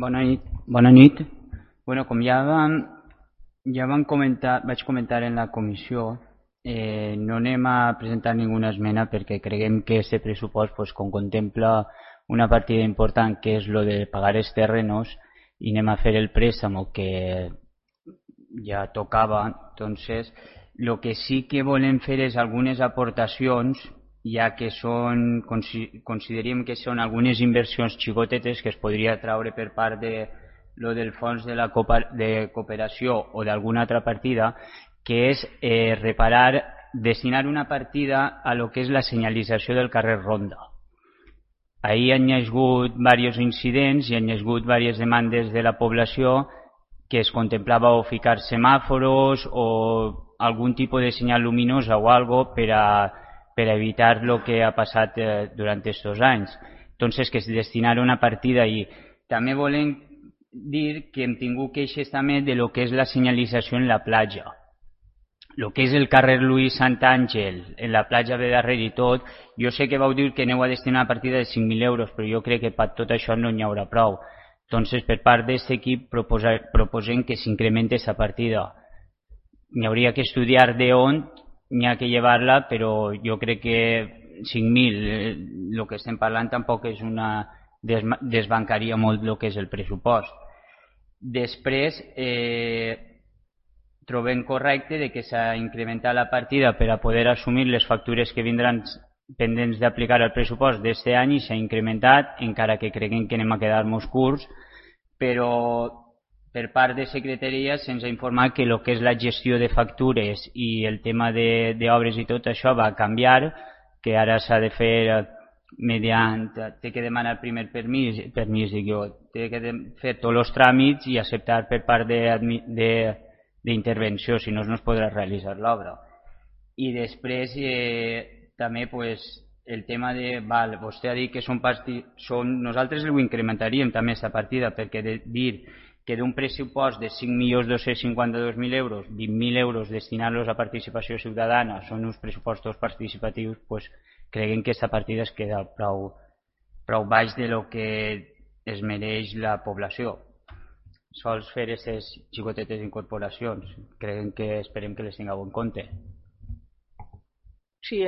Bona nit. Bueno, com vaig comentar en la comissió, no anem a presentar ninguna esmena perquè creguem que aquest pressupost, com contempla una partida important que és lo de pagar els terrenos i anem a fer el préstamo que ja tocava. Entonces, el que sí que volem fer és algunes aportacions, ja que considerem que són algunes inversions xicotetes que es podria traure per part de lo del fons de cooperació o d'alguna altra partida, que és destinar una partida a lo que és la senyalització del carrer Ronda. Ahir hi ha hagut diversos incidents i hi ha hagut diverses demandes de la població que es contemplava o ficar semàforos o algun tipus de senyal luminosa o algo per a evitar el que ha passat durant aquests anys. Entonces, que es destinara una partida i també volem dir que hem tingut queixes també de lo que és la senyalització en la platja. El que és el carrer Luis Santàngel, en la platja de darrere i tot, jo sé que vau dir que aneu a destinar una partida de 5.000 euros, però jo crec que per tot això no n'hi haurà prou. Entonces, per part d'aquest equip proposem que s'incrementi aquesta partida. N'hi hauria que estudiar d'on n'hi ha que llevar-la, però jo crec que 5.000, el que estem parlant tampoc és desbancaria molt el que és el pressupost. Després, trobem correcte que s'ha incrementat la partida per a poder assumir les factures que vindran pendents d'aplicar el pressupost d'aquest any i s'ha incrementat, encara que creguem que anem a quedar-nos curts, però per part de secretaria se'ns ha informat que el que és la gestió de factures i el tema d'obres i tot això va canviar, que ara s'ha de fer té que demanar primer permís, té que fer tots els tràmits i acceptar per part d'intervenció, si no es podrà realitzar l'obra. I després també el tema de... vostè ha dit que nosaltres ho incrementaríem també aquesta partida, perquè dir que d'un pressupost de 5.252.000 euros, 20.000 euros destinar-los a participació ciutadana són uns pressupostos participatius, creguem que aquesta partida es queda prou baix de lo que es mereix la població. Sols fer aquestes xicotetes incorporacions, esperem que les tingueu en compte. Sí,